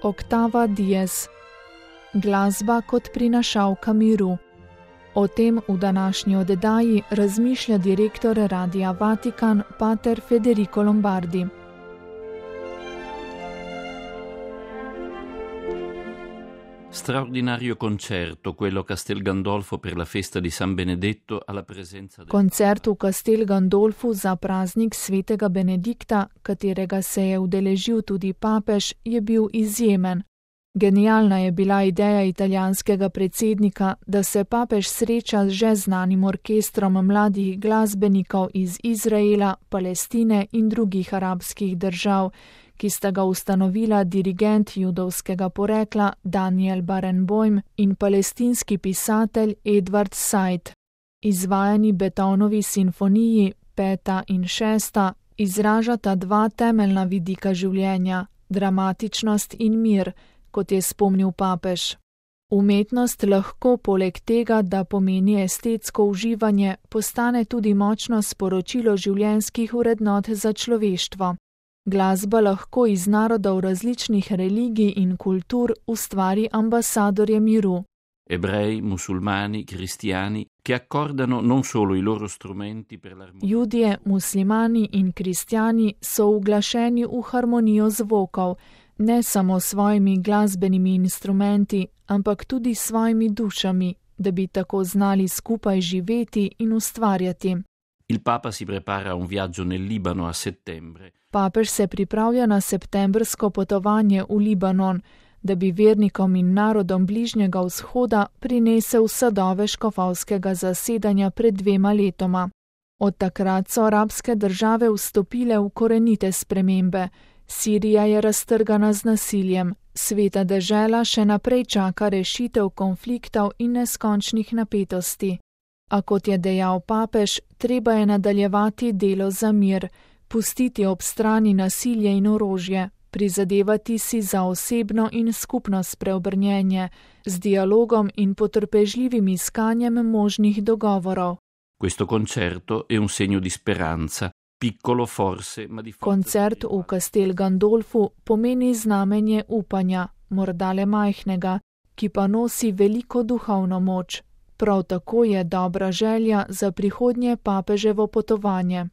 Octava Dies. Glasba kot prinašalka miru. O tem v današnji oddaji razmišlja direktor Radia Vatikan, pater Federico Lombardi. Straordinario concerto, quello Castel Gandolfo per la festa di San Benedetto alla presenza del... Koncert v Castel Gandolfu za praznik svetega Benedikta, katerega se je udeležil tudi papež, je bil izjemen. Genialna je bila ideja italijanskega predsednika, da se papež sreča z že znanim orkestrom mladih glasbenikov iz Izraela, Palestine in drugih arabskih držav, ki sta ga ustanovila dirigent judovskega porekla Daniel Barenboim in palestinski pisatelj Edward Said. Izvajani Beethovnovi simfoniji, 5. in 6., izražata dva temeljna vidika življenja, dramatičnost in mir, kot je spomnil papež. Umetnost lahko poleg tega, da pomeni estetsko uživanje, postane tudi močno sporočilo življenjskih vrednot za človeštvo. Glasba lahko iz narodov različnih religij in kultur ustvari ambasadorje miru. Ebrei, musulmani, cristiani, che accordano non solo i loro strumenti per l'armonia. Judje, muslimani in kristjani so uglašeni v harmonijo zvokov, ne samo svojimi glasbenimi instrumenti, ampak tudi svojimi dušami, da bi tako znali skupaj živeti in ustvarjati. Il Papa si prepara a un viaggio nel Libano a settembre. Papež se pripravlja na septembrsko potovanje v Libanon, da bi vernikom in narodom Bližnjega vzhoda prinesel sadove škofovskega zasedanja pred 2 letoma. Od takrat so arabske države vstopile v korenite spremembe. Sirija je raztrgana z nasiljem, sveta dežela še naprej čaka rešitev konfliktov in neskončnih napetosti. A kot je dejal papež, treba je nadaljevati delo za mir, pustiti ob strani nasilje in orožje, prizadevati si za osebno in skupno spreobrnjenje, z dialogom in potrpežljivim iskanjem možnih dogovorov. Questo concerto è un segno di speranza, piccolo forse, ma di forza. Koncert v Castel Gandolfu pomeni znamenje upanja, morda le majhnega, ki pa nosi veliko duhovno moč. Prav tako je dobra želja za prihodnje papeževo potovanje.